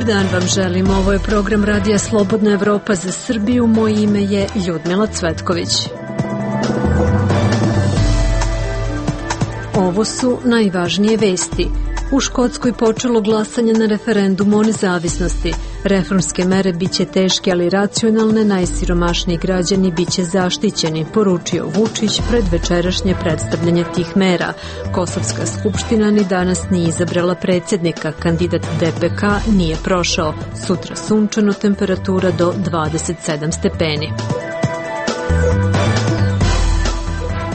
dan vam želim. Ovo je program Radija Slobodna Evropa za Srbiju. Moje ime je Ljudmila Cvetković. Ovo su najvažnije vesti. U Škotskoj počelo glasanje na referendumu o nezavisnosti. Reformske mere biće teške, ali racionalne, najsiromašniji građani biće zaštićeni, poručio Vučić pred večerašnje predstavljanje tih mera. Kosovska skupština ni danas nije izabrala predsjednika, kandidat DPK nije prošao. Sutra sunčano, temperatura do 27 stepeni.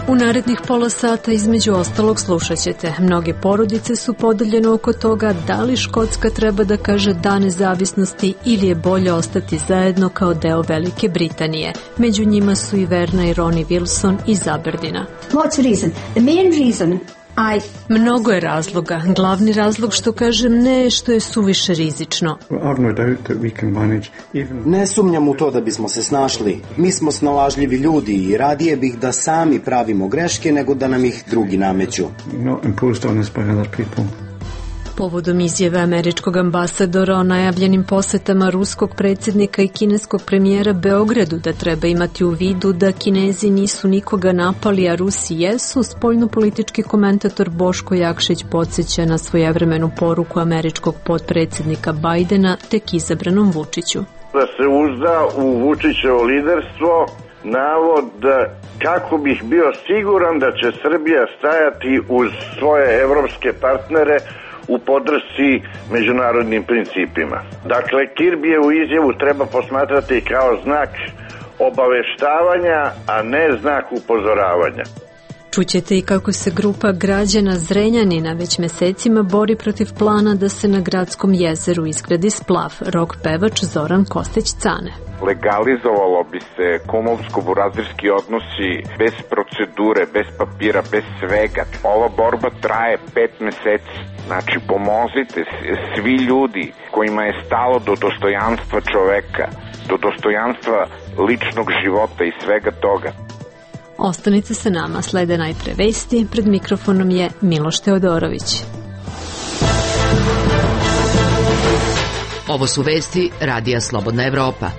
U narednih pola sata između ostalog slušat ćete. Mnoge porodice su podeljene oko toga da li Škotska treba da kaže da nezavisnosti ili je bolje ostati zajedno kao deo Velike Britanije. Među njima su i Verna i Ronnie Wilson iz Aberdeena. What's the reason? The main reason Mnogo je razloga. Glavni razlog što kažem ne, što je suviše rizično. Ne sumnjam u to da bismo se snašli. Mi smo snalažljivi ljudi i radije bih da sami pravimo greške nego da nam ih drugi nameću. Povodom izjave američkog ambasadora o najavljenim posetama ruskog predsjednika i kineskog premijera Beogradu da treba imati u vidu da Kinezi nisu nikoga napali, a Rusi jesu, spoljnopolitički komentator Boško Jakšić podsjeća na svojevremenu poruku američkog potpredsjednika Bajdena tek izabranom Vučiću. Da se uzda u Vučićevo liderstvo, navod kako bih bio siguran da će Srbija stajati uz svoje evropske partnere u podršci međunarodnim principima. Dakle, Kirbijevu izjavu treba posmatrati kao znak obaveštavanja, a ne znak upozoravanja. Čućete i kako se grupa građana Zrenjanina već mesecima bori protiv plana da se na gradskom jezeru izgradi splav. Rok pevač Zoran Kostić-Cane. Legalizovalo bi se kumovsko-burazirski odnosi bez procedure, bez papira, bez svega. Ova borba traje 5 meseci. Znači, pomozite svi ljudi kojima je stalo do dostojanstva čoveka, do dostojanstva ličnog života i svega toga. Ostanite sa nama, slede najpre vesti, pred mikrofonom je Miloš Teodorović. Ovo su vesti Radija Slobodna Evropa.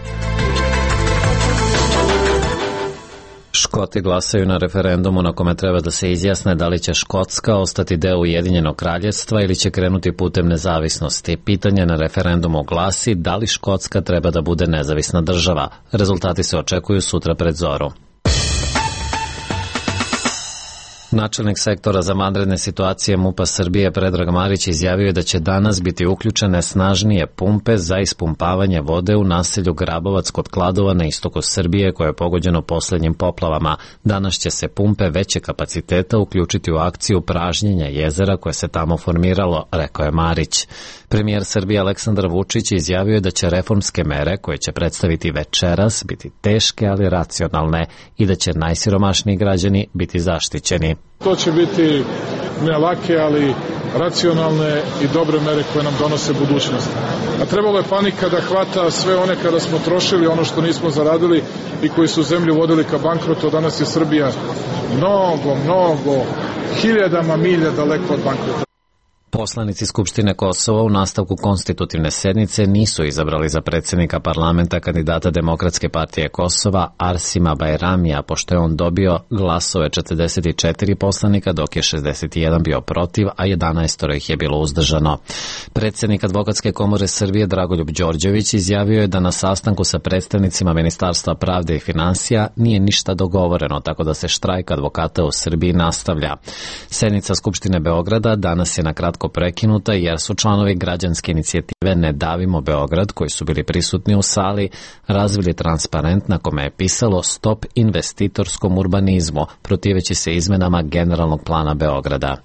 Škoti glasaju na referendumu na kome treba da se izjasne da li će Škotska ostati deo Ujedinjenog kraljevstva ili će krenuti putem nezavisnosti. Pitanje na referendumu glasi da li Škotska treba da bude nezavisna država. Rezultati se očekuju sutra pred zoru. Načelnik sektora za vanredne situacije MUP-a Srbije Predrag Marić izjavio je da će danas biti uključene snažnije pumpe za ispumpavanje vode u naselju Grabovac kod Kladova na istoku Srbije koje je pogođeno poslednjim poplavama. Danas će se pumpe veće kapaciteta uključiti u akciju pražnjenja jezera koje se tamo formiralo, rekao je Marić. Premijer Srbije Aleksandar Vučić izjavio je da će reformske mere koje će predstaviti večeras biti teške ali racionalne i da će najsiromašniji građani biti zaštićeni. To će biti ne lake, ali racionalne i dobre mere koje nam donose budućnost. A trebalo je panika da hvata sve one kada smo trošili ono što nismo zaradili i koji su zemlju vodili ka bankrotu. Danas je Srbija mnogo, hiljadama milja daleko od bankrota. Poslanici Skupštine Kosova u nastavku konstitutivne sednice nisu izabrali za predsjednika parlamenta kandidata Demokratske partije Kosova Arsima Bajramija, pošto je on dobio glasove 44 poslanika, dok je 61 bio protiv, a 11 ih je bilo uzdržano. Predsjednik Advokatske komore Srbije Dragoljub Đorđević izjavio je da na sastanku sa predstavnicima Ministarstva pravde i finansija nije ništa dogovoreno, tako da se štrajk advokata u Srbiji nastavlja. Sednica Skupštine Beograda danas je na kratko prekinuta jer su članovi građanske inicijative Ne davimo Beograd, koji su bili prisutni u sali, razvili transparent na kome je pisalo Stop investitorskom urbanizmu, protiveći se izmenama generalnog plana Beograda.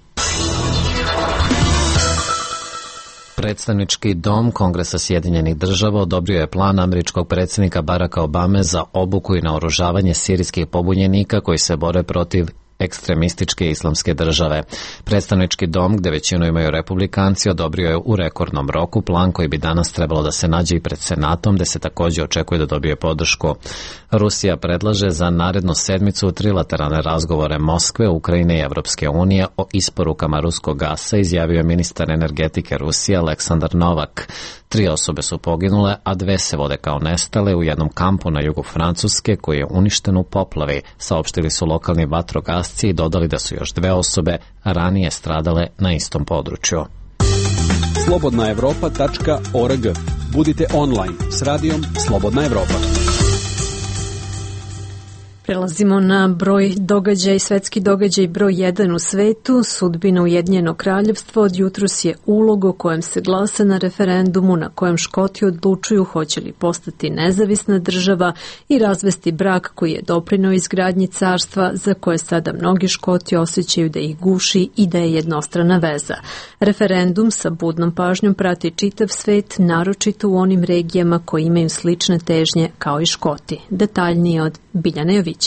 Predstavnički dom Kongresa Sjedinjenih država odobrio je plan američkog predsjednika Baracka Obame za obuku i naoružavanje sirijskih pobunjenika koji se bore protiv ekstremističke islamske države. Predstavnički dom, gde većinu imaju republikanci, odobrio je u rekordnom roku plan koji bi danas trebalo da se nađe i pred Senatom, gde se takođe očekuje da dobije podršku. Rusija predlaže za narednu sedmicu trilateralne razgovore Moskve, Ukrajine i Evropske unije o isporukama ruskog gasa, izjavio je ministar energetike Rusije Aleksandar Novak. 3 osobe su poginule, a 2 se vode kao nestale u jednom kampu na jugu Francuske koji je uništen u poplavi, saopštili su lokalni vatrogasci i dodali da su još 2 osobe ranije stradale na istom području. slobodnaevropa.org. Budite online s radijom Slobodna Evropa. Prelazimo na broj događaja i svetski događaj broj 1 u svetu. Sudbina Ujedinjenog kraljevstva od jutros je ulog o kojem se glasa na referendumu na kojem Škoti odlučuju hoće li postati nezavisna država i razvesti brak koji je doprineo izgradnji carstva za koje sada mnogi Škoti osjećaju da ih guši i da je jednostrana veza. Referendum sa budnom pažnjom prati čitav svet, naročito u onim regijama koji imaju slične težnje kao i Škoti. Detaljnije od Biljane Jovićević.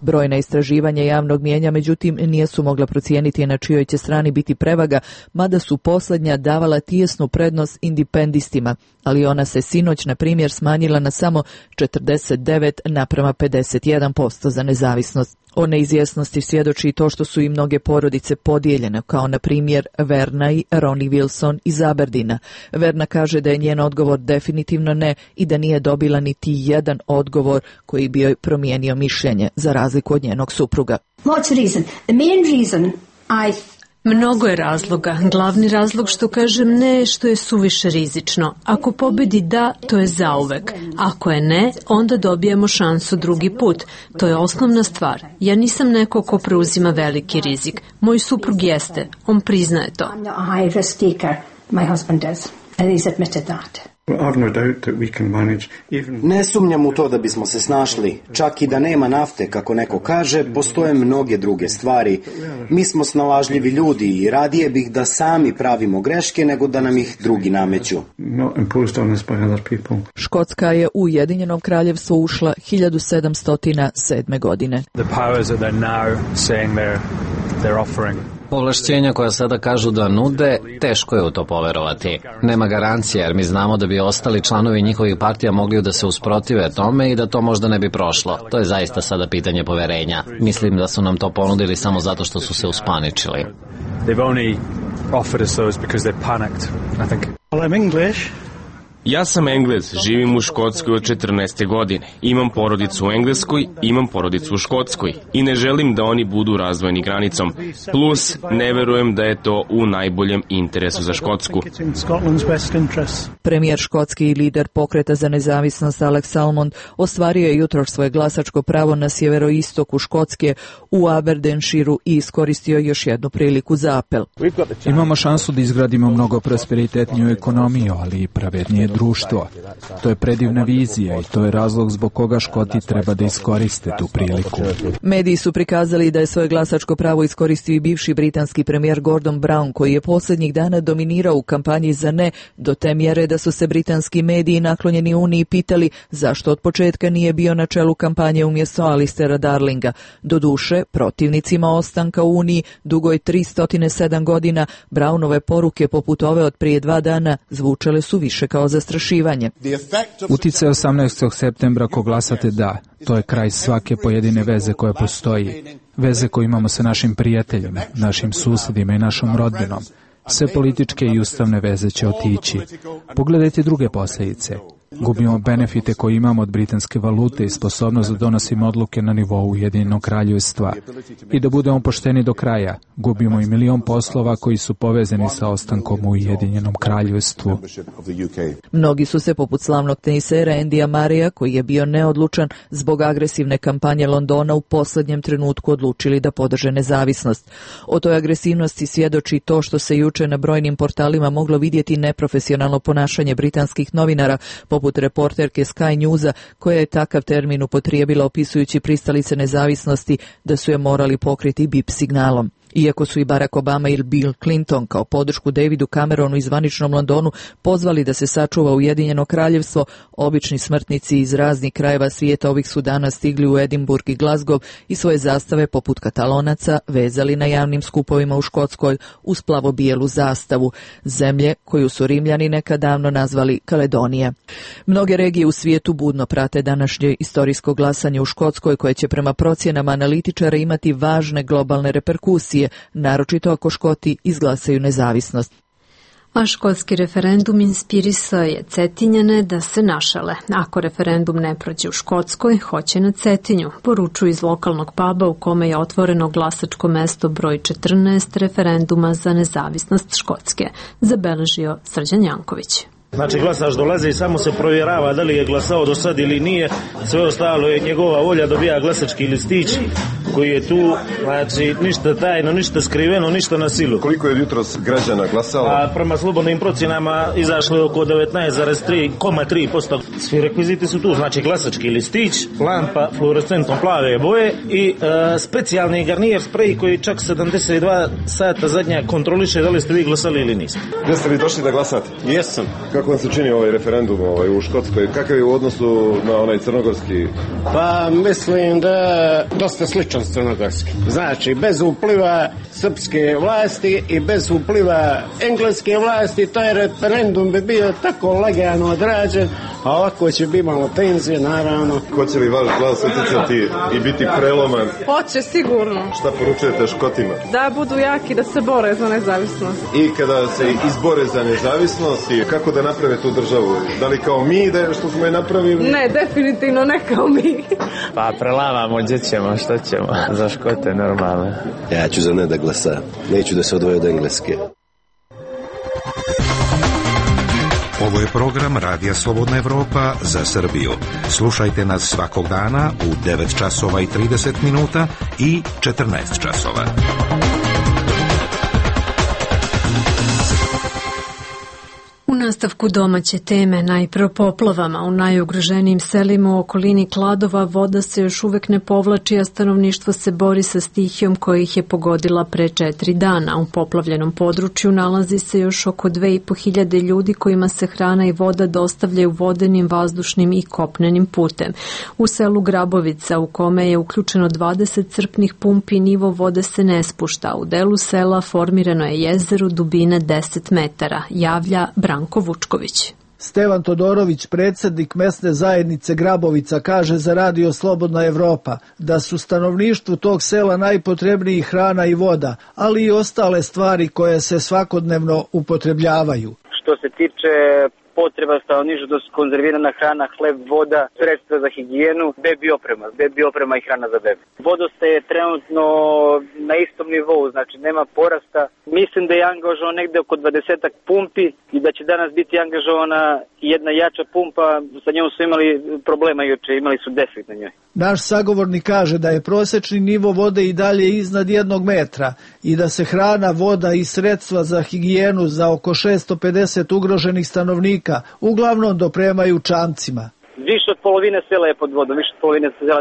Brojna istraživanja javnog mijenja, međutim, nisu mogla procijeniti na čijoj će strani biti prevaga, mada su poslednja davala tijesnu prednost independistima, ali ona se sinoć, na primjer, smanjila na samo 49:51% za nezavisnost. O neizvjesnosti svjedoči to što su i mnoge porodice podijeljene, kao na primjer Verna i Ronnie Wilson iz Aberdina. Verna kaže da je njen odgovor definitivno ne i da nije dobila niti jedan odgovor koji bi joj promijenio mišljenje, za razliku od njenog supruga. What's the reason? The main reason Mnogo je razloga. Glavni razlog što kažem ne je što je suviše rizično. Ako pobedi da, to je zauvek. Ako je ne, onda dobijemo šansu drugi put. To je osnovna stvar. Ja nisam neko ko preuzima veliki rizik. Moj suprug jeste. On priznaje to. I'm not a high risk taker. My husband does. And he's admitted that. Ne sumnjam u to da bismo se snašli. Čak i da nema nafte, kako neko kaže, postoje mnoge druge stvari. Mi smo snalažljivi ljudi i radije bih da sami pravimo greške nego da nam ih drugi nameću. Škotska je u Ujedinjenom kraljevstvu ušla 1707. godine. Povlašćenja koja sada kažu da nude, teško je u to poverovati. Nema garancije jer mi znamo da bi ostali članovi njihovih partija mogli da se usprotive tome i da to možda ne bi prošlo. To je zaista sada pitanje poverenja. Mislim da su nam to ponudili samo zato što su se uspaničili. Ja sam Englez, živim u Škotskoj od 14. godine. Imam porodicu u Engleskoj, imam porodicu u Škotskoj i ne želim da oni budu razdvojeni granicom. Plus, ne verujem da je to u najboljem interesu za Škotsku. Premijer škotski i lider pokreta za nezavisnost Alex Salmond ostvario je jutros svoje glasačko pravo na sjeveroistoku Škotske u Aberdeenshireu i iskoristio još jednu priliku za apel. Imamo šansu da izgradimo mnogo prosperitetniju ekonomiju, ali i pravednije društvo. To je predivna vizija i to je razlog zbog koga Škoti treba da iskoriste tu priliku. Mediji su prikazali da je svoje glasačko pravo iskoristio i bivši britanski premijer Gordon Brown, koji je posljednjih dana dominirao u kampanji za ne, do te mjere da su se britanski mediji naklonjeni Uniji pitali zašto od početka nije bio na čelu kampanje umjesto Alistera Darlinga. Doduše, protivnicima ostanka u Uniji dugoj 307 godina, Brownove poruke poput ove od prije 2 dana zvučale su više kao zastrašivanje. Uticaj 18. septembra ako glasate da, to je kraj svake pojedine veze koja postoji. Veze koju imamo sa našim prijateljima, našim susjedima i našom rodbinom. Sve političke i ustavne veze će otići. Pogledajte druge posljedice. Gubimo benefite koje imamo od britanske valute i sposobnost da donosimo odluke na nivou Ujedinjenog kraljevstva. I da budemo pošteni do kraja, gubimo i 1.000.000 poslova koji su povezani sa ostankom u Ujedinjenom kraljevstvu. Mnogi su se, poput slavnog tenisera Andyja Murraya, koji je bio neodlučan zbog agresivne kampanje Londona, u posljednjem trenutku odlučili da podrže nezavisnost. O toj agresivnosti svjedoči to što se juče na brojnim portalima moglo vidjeti neprofesionalno ponašanje britanskih novinara, poput reporterke Sky Newsa, koja je takav termin upotrijebila opisujući pristalice nezavisnosti da su je morali pokriti bip signalom. Iako su i Barack Obama i Bill Clinton kao podršku Davidu Cameronu i zvaničnom Londonu pozvali da se sačuva Ujedinjeno kraljevstvo, obični smrtnici iz raznih krajeva svijeta ovih su dana stigli u Edinburgh i Glasgow i svoje zastave poput Katalonaca vezali na javnim skupovima u Škotskoj uz plavo-bijelu zastavu, zemlje koju su Rimljani nekad davno nazvali Kaledonija. Mnoge regije u svijetu budno prate današnje istorijsko glasanje u Škotskoj koje će prema procjenama analitičara imati važne globalne reperkusije, naročito ako Škoti izglasaju nezavisnost. A škotski referendum inspirisao je Cetinjane da se našale. Ako referendum ne prođe u Škotskoj, hoće na Cetinju, poručuju iz lokalnog puba u kome je otvoreno glasačko mesto broj 14 referenduma za nezavisnost Škotske, zabeležio Srđan Janković. Znači glasač dolazi i samo se provjerava da li je glasao do sad ili nije, sve ostalo je njegova volja, dobija glasački listić koji je tu, znači ništa tajno, ništa skriveno, ništa na silu. Koliko je jutros građana glasalo? A prema slobodnim procjenama izašlo je oko 19,3%. Svi rekviziti su tu, znači glasački listić, lampa fluorescentnom plave boje i specijalni garnijer sprej koji čak 72 sata zadnja kontroliše da li ste vi glasali ili niste. Gdje ste vi došli da glasate? Jesam. Kako vam se čini ovaj referendum u Škotskoj? Kakav je u odnosu na onaj crnogorski? Pa mislim da dosta sličan s crnogorski. Znači, bez upliva srpske vlasti i bez upliva engleske vlasti, taj referendum bi bio tako lagano odrađen, a ovako će biti malo tenzije, naravno. Hoće li vaš glas utjecati i biti preloman? Hoće, sigurno. Šta poručujete Škotima? Da budu jaki, da se bore za nezavisnost. I kada se izbore za nezavisnost, kako da naprave tu državu? Da li kao mi, da što smo je napravili? Ne, definitivno ne kao mi. Pa prelamamo, gdje ćemo, što ćemo? Za Škote normalno. Ja ću za ne da glasa. Neću da se odvoje od Engleske. Ovo je program Radija Slobodna Evropa za Srbiju. Slušajte nas svakog dana u 9 časova i 30 minuta i 14 časova. U nastavku domaće teme, najpre o poplavama. U najugroženijim selima u okolini Kladova voda se još uvek ne povlači, a stanovništvo se bori sa stihijom koja ih je pogodila pre 4 dana. U poplavljenom području nalazi se još oko 2500 ljudi kojima se hrana i voda dostavljaju vodenim, vazdušnim i kopnenim putem. U selu Grabovica, u kome je uključeno 20 crpnih pumpi, nivo vode se ne spušta. U delu sela formirano je jezero dubine 10 metara, javlja Branko Vučković. Stevan Todorović, predsjednik mesne zajednice Grabovica, kaže za Radio Slobodna Evropa da su stanovništvu tog sela najpotrebniji hrana i voda, ali i ostale stvari koje se svakodnevno upotrebljavaju. Što se tiče potreba stanovništva, to su konzervirana hrana, hleb, voda, sredstva za higijenu, bebi oprema i hrana za bebe. Vodostaj je trenutno na istom nivou, znači nema porasta. Mislim da je angažovano negde oko 20 pumpi i da će danas biti angažovana jedna jača pumpa, sa njom su imali problema juče, imali su defekt na njoj. Naš sagovornik kaže da je prosječni nivo vode i dalje iznad 1 metra i da se hrana, voda i sredstva za higijenu za oko 650 ugroženih stanovnika uglavnom dopremaju čamcima. Više od polovine sela je pod vodom,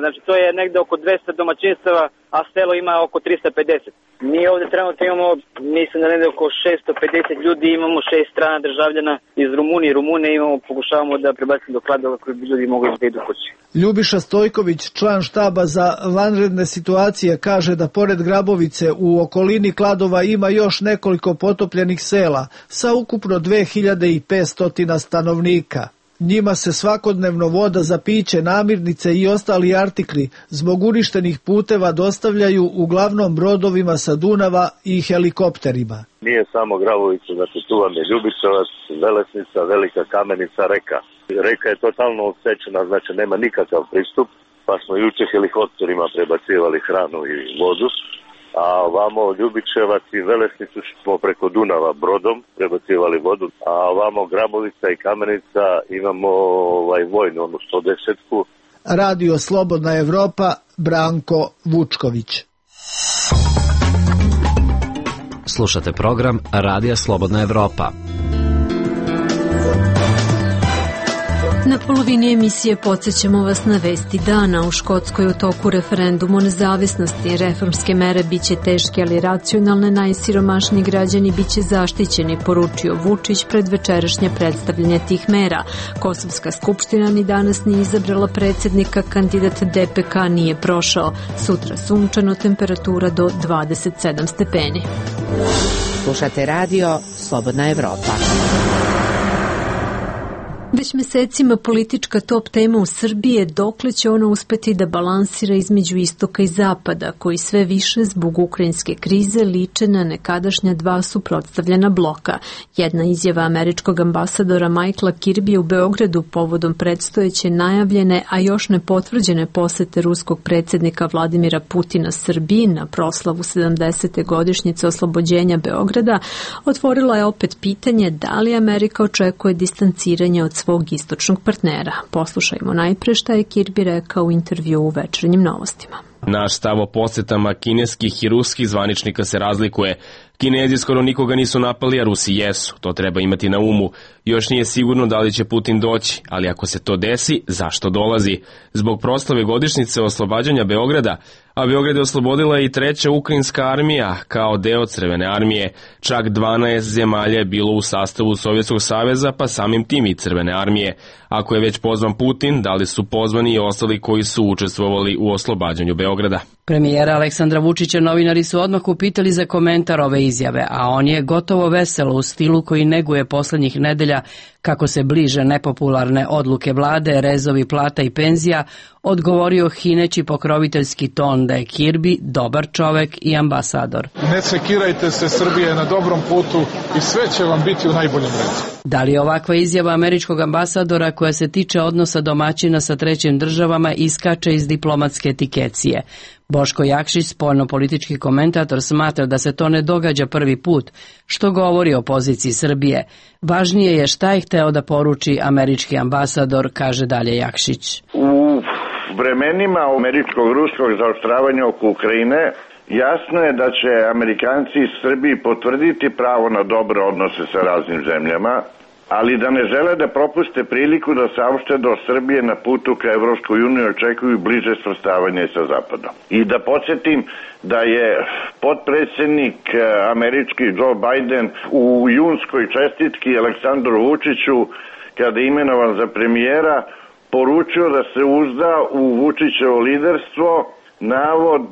znači to je negde oko 200 domaćinstava, a selo ima oko 350. Mi ovdje trenutno imamo, mislim da negde oko 650 ljudi, imamo 6 strana državljana iz Rumunije imamo, pokušavamo da prebacimo do Kladova koji bi ljudi mogli da idu kući. Ljubiša Stojković, član štaba za vanredne situacije, kaže da pored Grabovice u okolini Kladova ima još nekoliko potopljenih sela sa ukupno 2500 stanovnika. Njima se svakodnevno voda za piće, namirnice i ostali artikli zbog uništenih puteva dostavljaju uglavnom brodovima sa Dunava i helikopterima. Nije samo Grabovica, znači tu vam je Ljubičevac, Velesnica, Velika Kamenica, Reka. Reka je totalno odsečena, znači nema nikakav pristup, pa smo juče helikopterima prebacivali hranu i vodu. A ovamo Ljubičevac i Velesnicu smo preko Dunava brodom prebacivali vodu, a ovamo Grabovica i Kamenica imamo vojnu, ono 110-ku. Radio Slobodna Evropa, Branko Vučković. Slušate program Radija Slobodna Evropa. Na polovini emisije podsjećamo vas na vesti dana. U Škotskoj u toku referendum o nezavisnosti. Reformske mere biće teške, ali racionalne. Najsiromašniji građani biće zaštićeni, poručio Vučić pred večerašnje predstavljanje tih mera. Kosovska skupština ni danas nije izabrala predsjednika, kandidat DPK nije prošao. Sutra sunčano, temperatura do 27 stepeni. Slušate radio Slobodna Evropa. Već mesecima politička top tema u Srbiji je dokle će ona uspeti da balansira između istoka i zapada, koji sve više zbog ukrajinske krize liče na nekadašnja dva suprotstavljena bloka. Jedna izjava američkog ambasadora Michaela Kirbija u Beogradu povodom predstojeće najavljene, a još ne potvrđene posete ruskog predsjednika Vladimira Putina Srbiji na proslavu 70. godišnjice oslobođenja Beograda otvorila je opet pitanje da li Amerika očekuje distanciranje od svog istočnog partnera. Poslušajmo najpre šta je Kirby rekao u intervju u Večernjim novostima. Naš stav o posetama kineskih i ruskih zvaničnika se razlikuje. Kinezi skoro nikoga nisu napali, a Rusi jesu. To treba imati na umu. Još nije sigurno da li će Putin doći, ali ako se to desi, zašto dolazi? Zbog proslave godišnjice oslobađanja Beograda, a Beograd je oslobodila i treća ukrajinska armija kao deo Crvene armije. Čak 12 zemalja je bilo u sastavu Sovjetskog saveza, pa samim tim i Crvene armije. Ako je već pozvan Putin, da li su pozvani i ostali koji su učestvovali u oslobađanju Beograda? Premijera Aleksandra Vučića novinari su odmah upitali za komentar ove izjave, a on je gotovo veselo u stilu koji neguje poslednjih nedelja kako se bliže nepopularne odluke vlade, rezovi plata i penzija, odgovorio hineći pokroviteljski ton da je Kirby dobar čovek i ambasador. Ne sekirajte se, Srbija je na dobrom putu i sve će vam biti u najboljem redu. Da li ovakva izjava američkog ambasadora koja se tiče odnosa domaćina sa trećim državama iskače iz diplomatske etikecije? Boško Jakšić, spoljno-politički komentator, smatra da se to ne događa prvi put, što govori o poziciji Srbije. Važnije je šta je hteo da poruči američki ambasador, kaže dalje Jakšić. U vremenima američkog-ruskog zaoštravanja oko Ukrajine jasno je da će Amerikanci iz Srbiji potvrditi pravo na dobre odnose sa raznim zemljama, ali da ne žele da propuste priliku da saopšte da Srbije na putu ka Evropskoj uniji očekuju bliže svrstavanje sa Zapadom. I da podsjetim da je potpredsjednik američki Joe Biden u junskoj čestitki Aleksandru Vučiću, kada je imenovan za premijera, poručio da se uzda u Vučićevo liderstvo, navod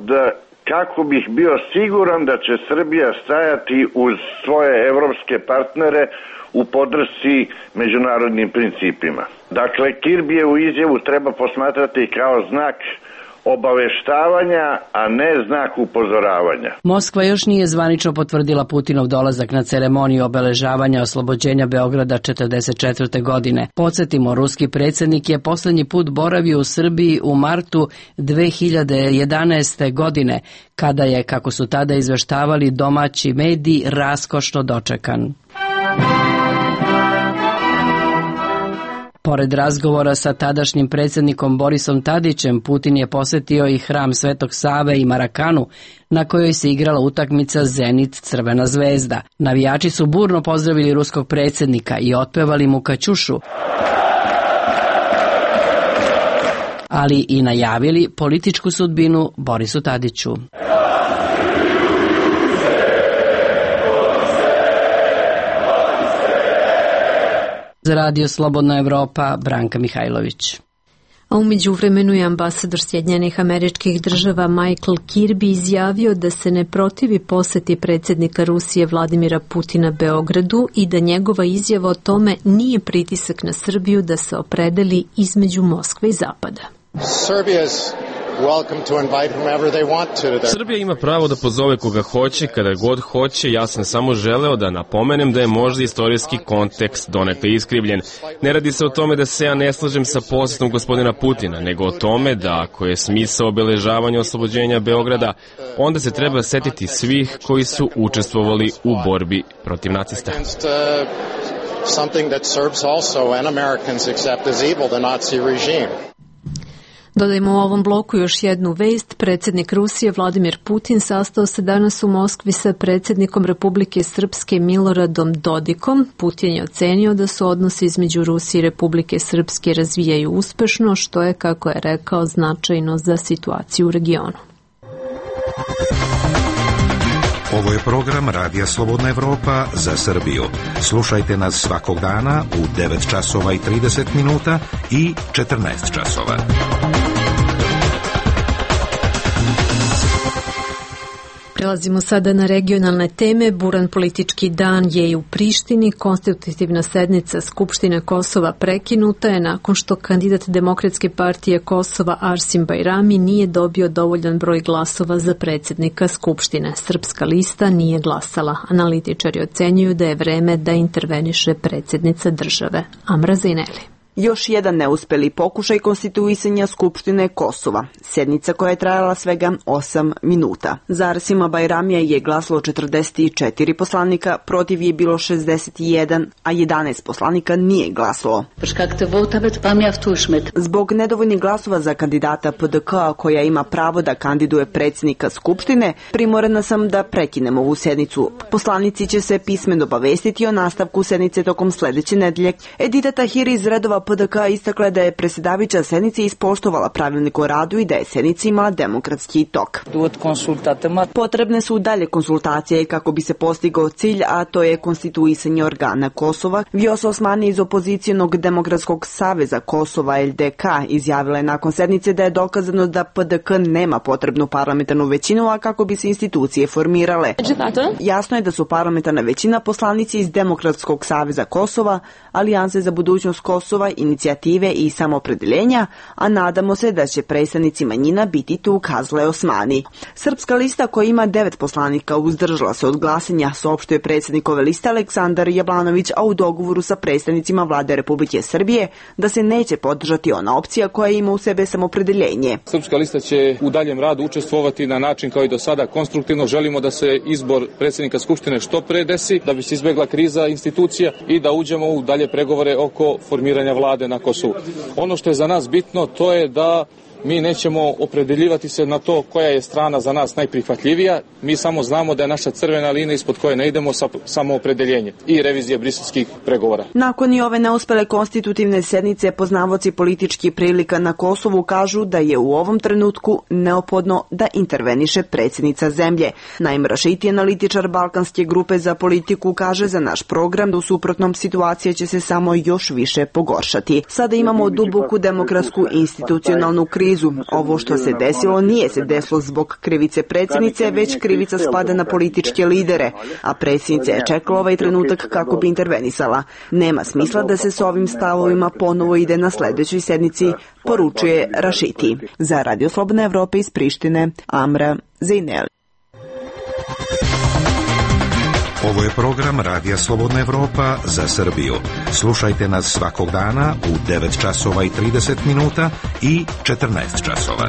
kako bih bio siguran da će Srbija stajati uz svoje evropske partnere u podršci međunarodnim principima. Dakle, Kirbijevu izjavu treba posmatrati kao znak obaveštavanja, a ne znak upozoravanja. Moskva još nije zvanično potvrdila Putinov dolazak na ceremoniju obeležavanja oslobođenja Beograda 1944. godine. Podsjetimo, ruski predsjednik je poslednji put boravio u Srbiji u martu 2011. godine, kada je, kako su tada izveštavali domaći mediji, raskošno dočekan. Pored razgovora sa tadašnjim predsjednikom Borisom Tadićem, Putin je posetio i hram Svetog Save i Marakanu, na kojoj se igrala utakmica Zenit-Crvena zvezda. Navijači su burno pozdravili ruskog predsjednika i otpevali mu Kaćušu, ali i najavili političku sudbinu Borisu Tadiću. Za radio Slobodna Evropa, Branka Mihajlović. A umeđu vremenu je ambasador Sjedinjenih Američkih Država Michael Kirby izjavio da se ne protivi poseti predsjednika Rusije Vladimira Putina Beogradu i da njegova izjava o tome nije pritisak na Srbiju da se opredeli između Moskve i Zapada. Srbija ima pravo da pozove koga hoće, kada god hoće. Ja sam samo želeo da napomenem da je možda istorijski kontekst donekle iskrivljen. Ne radi se o tome da se ja ne slažem sa posetom gospodina Putina, nego o tome da ako je smisao obeležavanja oslobođenja Beograda, onda se treba setiti svih koji su učestvovali u borbi protiv nacista. Something that Serbs also and Americans accept as evil, the Nazi regime. Dodajmo u ovom bloku još jednu vest. Predsjednik Rusije Vladimir Putin sastao se danas u Moskvi sa predsjednikom Republike Srpske Miloradom Dodikom. Putin je ocenio da su odnosi između Rusije i Republike Srpske razvijaju uspešno, što je, kako je rekao, značajno za situaciju u regionu. Ovo je program Radija Slobodna Evropa za Srbiju. Slušajte nas svakog dana u 9 časova i 30 minuta i 14 časova. Prelazimo sada na regionalne teme. Buran politički dan je i u Prištini. Konstitutivna sednica Skupštine Kosova prekinuta je nakon što kandidat Demokratske partije Kosova Arsim Bajrami nije dobio dovoljan broj glasova za predsjednika Skupštine. Srpska lista nije glasala. Analitičari ocenjuju da je vreme da interveniše predsjednica države. Amra Zaineli. Još jedan neuspeli pokušaj konstituisanja Skupštine Kosova. Sednica koja je trajala svega 8 minuta. Za Arsima Bajramija je glasalo 44 poslanika, protiv je bilo 61, a 11 poslanika nije glasalo. Zbog nedovoljnih glasova za kandidata PDK, koja ima pravo da kandiduje predsjednika Skupštine, primorana sam da prekinem ovu sednicu. Poslanici će se pismeno obavestiti o nastavku sednice tokom sledeće nedelje. Edita Tahiri iz redova PDK istakla da je predsjedavajuća sednice ispoštovala pravilnik o radu i da je sednica imala demokratski tok. Potrebne su dalje konsultacije kako bi se postigao cilj, a to je konstituisanje organa Kosova. Vjosa Osmani iz opozicijonog Demokratskog saveza Kosova LDK izjavila je nakon sednice da je dokazano da PDK nema potrebnu parlamentarnu većinu, a kako bi se institucije formirale. Jasno je da su parlamentarna većina poslanici iz Demokratskog saveza Kosova, Alijanse za budućnost Kosova, inicijative i samoopredeljenja, a nadamo se da će predstavnici manjina biti tu, kazala je Osmani. Srpska lista koja ima 9 poslanika uzdržala se od glasanja, saopštio je predsjednikove liste Aleksandar Jablanović, a u dogovoru sa predstavnicima vlade Republike Srbije da se neće podržati ona opcija koja ima u sebe samoopredeljenje. Srpska lista će u daljem radu učestvovati na način kao i do sada konstruktivno. Želimo da se izbor predsjednika Skupštine što pre desi, da bi se izbegla kriza institucija i da uđemo u dalje pregovore oko formiranja vlade na Kosovu. Ono što je za nas bitno, to je da mi nećemo opredeljivati se na to koja je strana za nas najprihvatljivija. Mi samo znamo da je naša crvena linija ispod koje ne idemo samoopredeljenje i revizija briselskih pregovora. Nakon i ove neuspele konstitutivne sednice, poznavaoci političkih prilika na Kosovu kažu da je u ovom trenutku neophodno da interveniše predsjednica zemlje. Naim Rašiti, analitičar Balkanske grupe za politiku, kaže za naš program da u suprotnom situacija će se samo još više pogoršati. Sada imamo duboku demokratsku institucionalnu krizu. Ovo što se desilo nije se desilo zbog krivice predsjednice, već krivica spada na političke lidere, a predsjednica je čekala ovaj trenutak kako bi intervenisala. Nema smisla da se s ovim stavovima ponovo ide na sljedećoj sednici, poručuje Rašiti. Za Radio Slobodna Evropa iz Prištine, Amra Zaineli. Ovo je program Radija Slobodna Evropa za Srbiju. Slušajte nas svakog dana u 9 časova i 30 minuta i 14 časova.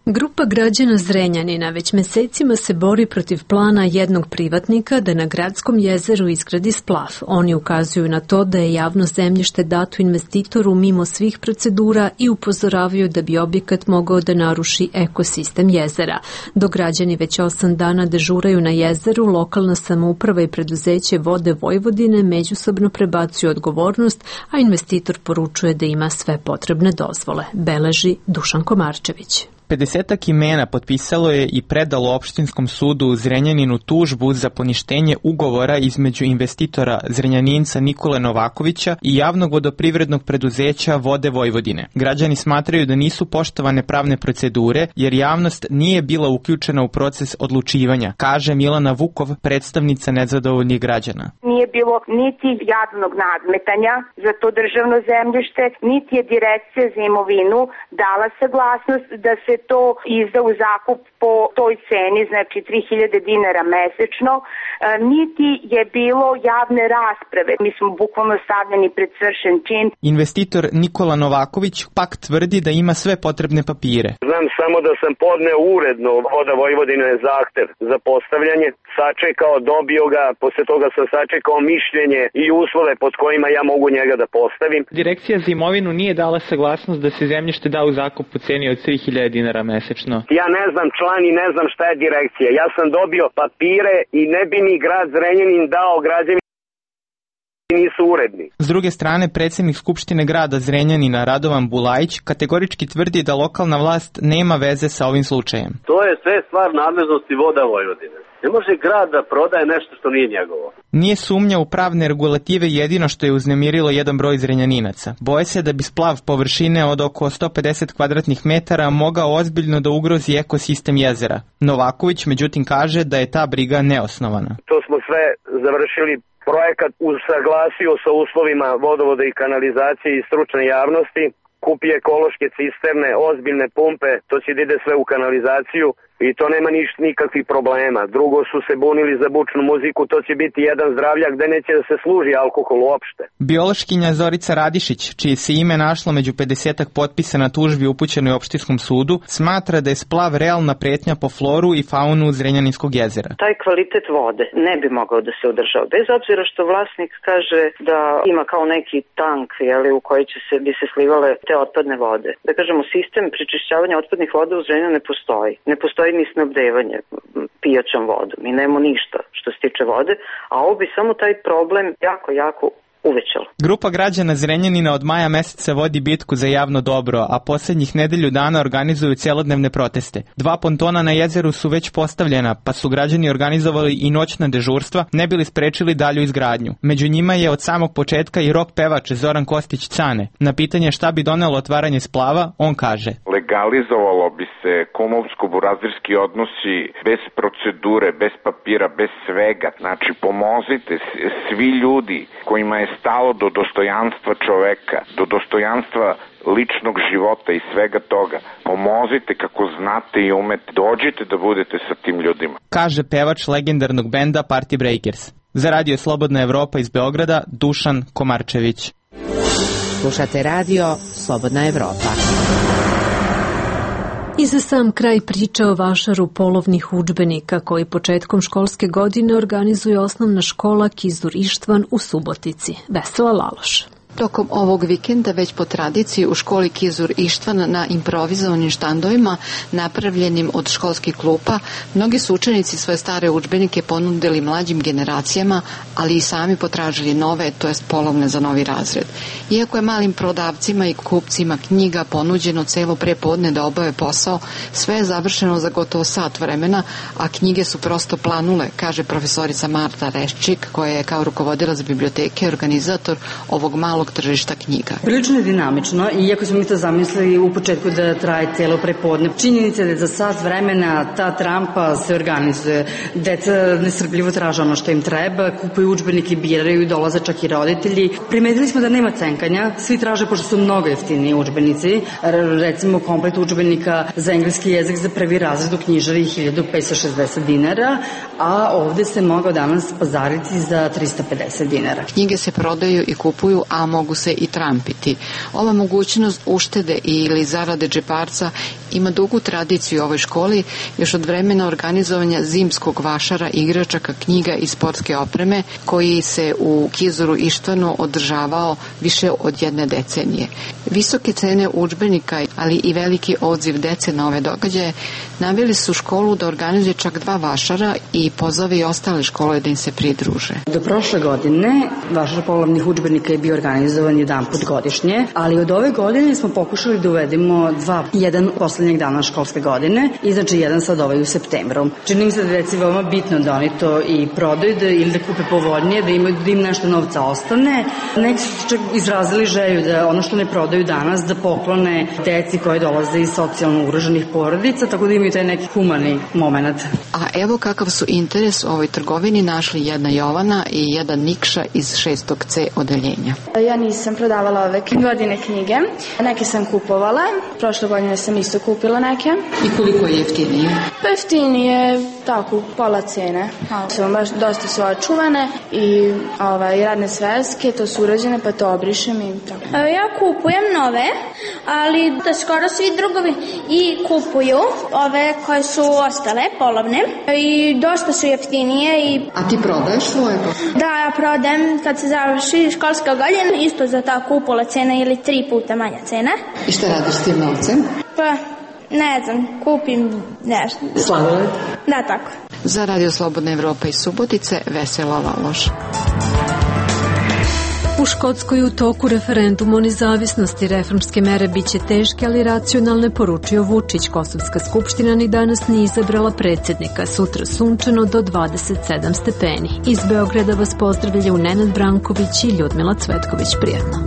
Grupa građana Zrenjanina već mesecima se bori protiv plana jednog privatnika da na gradskom jezeru izgradi splav. Oni ukazuju na to da je javno zemljište dato investitoru mimo svih procedura i upozoravaju da bi objekat mogao da naruši ekosistem jezera. Dok građani već 8 dana dežuraju na jezeru, lokalna samouprava i preduzeće Vode Vojvodine međusobno prebacuju odgovornost, a investitor poručuje da ima sve potrebne dozvole, beleži Dušan Komarčević. 50 imena potpisalo je i predalo opštinskom sudu u Zrenjaninu tužbu za poništenje ugovora između investitora Zrenjaninca Nikole Novakovića i javnog vodoprivrednog preduzeća Vode Vojvodine. Građani smatraju da nisu poštovane pravne procedure jer javnost nije bila uključena u proces odlučivanja, kaže Milana Vukov, predstavnica nezadovoljnih građana. Nije bilo niti javnog nadmetanja za to državno zemljište, niti je Direkcija za imovinu dala saglasnost da se to izda u zakup po toj ceni, znači 3000 dinara mesečno. niti je bilo javne rasprave. Mi smo bukvalno stavljeni pred svršen čin. Investitor Nikola Novaković pak tvrdi da ima sve potrebne papire. Znam samo da sam podneo uredno Voda Vojvodine zahtev za postavljanje, sačekao, dobio ga, posle toga sam sačekao mišljenje i uslove pod kojima ja mogu njega da postavim. Direkcija za imovinu nije dala saglasnost da se zemljište da u zakup po ceni od 3.000 dinara mesečno. Ja ne znam član i ne znam šta je direkcija. Ja sam dobio papire i ne bi mi grad Zrenjanin dao građevinu nisu uredni. S druge strane, predsjednik Skupštine grada Zrenjanina Radovan Bulajić kategorički tvrdi da lokalna vlast nema veze sa ovim slučajem. To je sve stvar nadležnosti Voda Vojvodine. Ne može grad da prodaje nešto što nije njegovo. Nije sumnja u pravne regulative jedino što je uznemirilo jedan broj Zrenjaninaca. Boje se da bi splav površine od oko 150 kvadratnih metara mogao ozbiljno da ugrozi ekosistem jezera. Novaković međutim kaže da je ta briga neosnovana. To smo sve završili. Projekat usaglasio sa uslovima vodovoda i kanalizacije i stručne javnosti, kupi ekološke cisterne, ozbiljne pumpe, to će da ide sve u kanalizaciju i to nema nikakvih problema. Drugo su se bunili za bučnu muziku, to će biti jedan zdravljak gde neće da se služi alkohol uopšte. Biološkinja Zorica Radišić, čije se ime našlo među 50-ak potpisa na tužbi upućenoj opštinskom sudu, smatra da je splav realna pretnja po floru i faunu Zrenjaninskog jezera. Taj kvalitet vode ne bi mogao da se održava, bez obzira što vlasnik kaže da ima kao neki tank u koji bi se slivale te otpadne vode. Da kažemo, sistem prečišćavanja otpadnih voda u Zrenjaninu ne postoji. Ne postoji ni snabdevanje pijaćom vodom. Mi nemamo ništa što se tiče vode, a ovo bi samo taj problem jako uvećalo. Grupa građana Zrenjanina od maja meseca vodi bitku za javno dobro, a posljednjih nedelju dana organizuju celodnevne proteste. 2 pontona na jezeru su već postavljena, pa su građani organizovali i noćna dežurstva, ne bili sprečili dalju izgradnju. Među njima je od samog početka i rock pevač Zoran Kostić Cane. Na pitanje šta bi donelo otvaranje splava, on kaže: legalizovalo bi se kumovsko-burazirski odnosi bez procedure, bez papira, bez svega. Znači, pomozite svi ljudi kojima je stalo do dostojanstva čoveka, do dostojanstva ličnog života i svega toga. Pomozite kako znate i umete. Dođite da budete sa tim ljudima. Kaže pevač legendarnog benda Party Breakers. Za Radio Slobodna Evropa iz Beograda, Dušan Komarčević. Slušate Radio Slobodna Evropa. I za sam kraj priča o vašaru polovnih udžbenika koji početkom školske godine organizuje osnovna škola Kizur Ištvan u Subotici. Vesela Laloš. Tokom ovog vikenda već po tradiciji u školi Kizur Ištvan na improvizovanim štandovima napravljenim od školskih klupa, mnogi su učenici svoje stare udžbenike ponudili mlađim generacijama, ali i sami potražili nove, to jest polovne za novi razred. Iako je malim prodavcima i kupcima knjiga ponuđeno celo prepodne da obave posao, sve je završeno za gotovo sat vremena, a knjige su prosto planule, kaže profesorica Marta Reščik, koja je kao rukovodilac biblioteke organizator ovog malog tržišta knjiga. Prilično je dinamično, iako smo mi to zamislili u početku da traje cijelo prepodne. Činjenica je da za sat vremena ta trampa se organizuje. Deca nestrpljivo traže ono što im treba, kupuju udžbenike, biraju, dolaze čak i roditelji. Primetili smo da nema cenkanja, svi traže pošto su mnogo jeftiniji udžbenici. Recimo komplet udžbenika za engleski jezik za prvi razred u knjižari 1560 dinara, a ovde se mogao danas pazariti za 350 dinara. Knjige se prodaju i kupuju, a mogu se i trampiti. Ova mogućnost uštede ili zarade džeparca ima dugu tradiciju u ovoj školi, još od vremena organizovanja zimskog vašara, igračaka, knjiga i sportske opreme, koji se u Kizuru Ištvanu održavao više od jedne decenije. Visoke cene udžbenika, ali i veliki odziv dece na ove događaje, naveli su školu da organizuje čak 2 vašara i pozove i ostale škole da im se pridruže. Do prošle godine vašar polovnih udžbenika je bio organizovan jedan put godišnje, ali od ove godine smo pokušali da uvedemo 2, jedan poslednjeg dana školske godine i znači jedan sad u septembru. Čini mi se da deci veoma bitno da oni to i prodaju ili da kupe povoljnije, da im nešto novca ostane. Neki su čak izrazili želju da ono što ne prodaju danas da poklone deci koje dolaze iz socijalno ugroženih porodica, tako da imaju taj neki humani moment. A evo kakav su interes u ovoj trgovini našli jedna Jovana i jedan Nikša iz 6. C odeljenja. Ja nisam prodavala ove godine knjige, neke sam kupovala. Prošle godine sam isto kupovala kupila neke. I koliko je jeftinije? Pa jeftinije, tako, pola cene. Su baš dosta su očuvane i radne sveske, to su urađene, pa to obrišem i tako. Ja kupujem nove, ali da skoro svi drugovi i kupuju ove koje su ostale, polovne, i dosta su jeftinije. A ti prodaješ svoje? Da, ja prodajem kad se završi školska godina, isto za tako upola cena ili 3 puta manja cena. I šta radiš s tim novcem? Pa, ne znam, kupim nešto. Sladoled? Da, tako. Za Radio Slobodna Evropa iz Subotice, Vesela Valoš. U Škotskoj u toku referendum o nezavisnosti, reformske mere biće teške, ali racionalne, poručio Vučić. Kosovska skupština ni danas nije izabrala predsjednika. Sutra sunčano do 27 stepeni. Iz Beograda vas pozdravljaju Nenad Branković i Ljudmila Cvetković. Prijatno.